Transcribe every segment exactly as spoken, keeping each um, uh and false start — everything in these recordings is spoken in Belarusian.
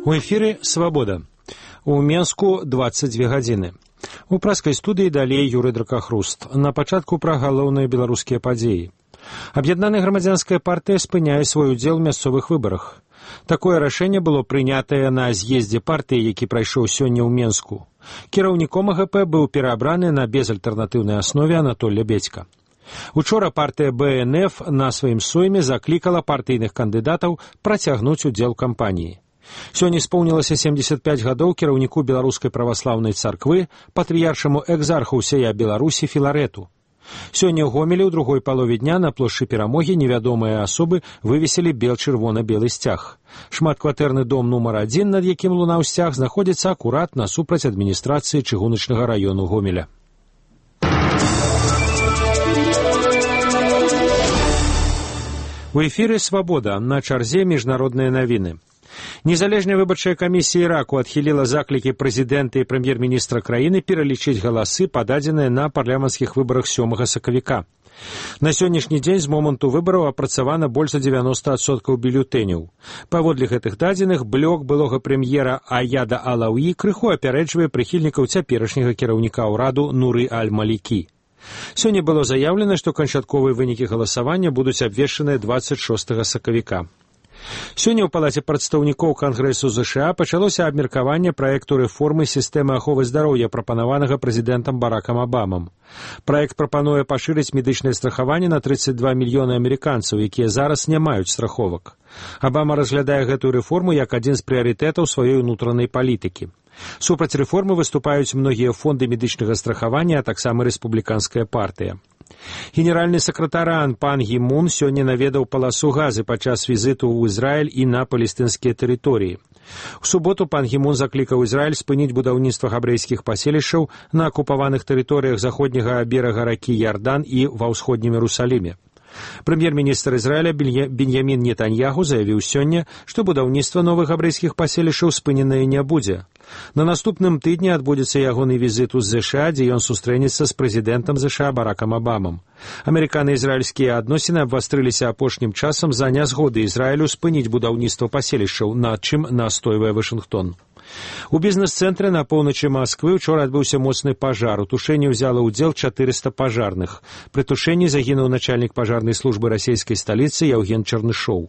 У эфіры «Свабода». У Менску дваццаць дзве гадзіны. У праскай студыі далей Юрый Дракахруст. На пачатку пра галоўныя беларускія падзеі. Аб'яднаная грамадзянская партыя спыняе свой удзел у мясцовых выбарах. Такое рашэнне было прынятае на з'ездзе партыі, які прайшоў сёння ў Менску. Кіраўніком а гэ пэ быў пераабраны на безальтэрнатыўнай аснове Анатоль Лебедзька. Учора партыя бэ эн эф на сваім сойме заклікала партыйных кандыдатаў працягнуць удзел у кампаніі. Сёння исполнілася семьдесят пять гадоў кіраўніку беларускай праваслаўнай царквы, патрыяршаму экзарху ўсяя Беларусі Філарэту. Сёння ў Гомелі ў другой палове дня на плошчы Перамогі невядомыя асобы вывесілі бел-чырвона-белы сцяг. Шматкватэрны дом нумар адзін, над якім лунаў сцяг, знаходзіцца акурат насупраць адміністрацыі чыгуначнага раёну Гомеля. У эфіры «Свабода», на чарзе міжнародныя навіны. Незалежная выбарчая камісія Іраку адхіліла заклікі прэзідэнта і прэм'ер-міністра краіны пералічыць галасы, пададзеныя на парламенцкіх выбарах сёмага сакавіка. На сённяшні дзень з моманту выбараў апрацавана больш за дзевяноста адсоткаў бюлетэняў. Паводле гэтых дадзеных, блок былога прэм'ера Аяда Алауі крыху апярэджвае прыхільнікаў цяперашняга кіраўніка ўраду Нуры Аль-Малікі. Сёння было заяўлена, што канчатковыя вынікі галасавання будуць абвешчаныя дваццаць шостага сакавіка. Сёння ў палаце прадстаўнікоў Кангрэсу ЗША пачалося абмеркаванне праекту рэформы сістэмы аховы здароўя, прапанаванага прэзідэнтам Баракам Абамам. Праект прапануе пашырыць медычнае страхаванне на тридцать два мільёны амерыканцаў, якія зараз не маюць страховак. Абама разглядае гэтую рэформу як адзін з прыярытэтаў сваёй унутранай палітыкі. Супраць рэформы выступаюць многія фонды медычнага страхавання, а таксама рэспубліканская партыя. Генеральны сакратаран пан Гі Мун сёння наведаў паласу Газы падчас візіту ў Ізраіль і на палестынскія тэрыторыі. У суботу пан Гі Мун заклікаў Ізраіль спыніць будаўніцтва габрэйскіх паселішчаў на акупаваных тэрыторыях заходняга берага ракі Ярдан і ва ўсходнім Іерусаліме. Прэм'ер-міністр Ізраіля Беньямін Нетаньяху заявіў сёння, што будаўніцтва новых габрэйскіх паселішаў спыненае не будзе. На наступным тыдні адбудзецца ягоны візіт у ЗША, дзе ён сустрэнецца з прэзідэнтам ЗША Баракам Абамам. Амерыкана-ізраільскія адносіны абвастрыліся апошнім часам за нязгоды Ізраілю спыніць будаўніцтва паселішчаў, над чым настойвае Вашынгтон. У бізнес-цэнтры на поўначы Масквы ўчора адбыўся моцны пажар. У тушэнні ўзяла ўдзел чатырыста пажарных. Пры тушэнні загінуў начальнік пажарнай службы расійскай сталіцы Яўген Чарнышоў.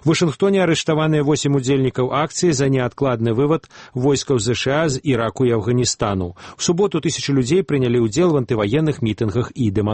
У Вашынгтоне арыштаваныя восем удзельнікаў акцыі за неадкладны вывад войскаў ЗША з Іраку і Афганістану. У суботу тысячы людзей прынялі ўдзел в антываенных мітынгах і дэманстрацыях.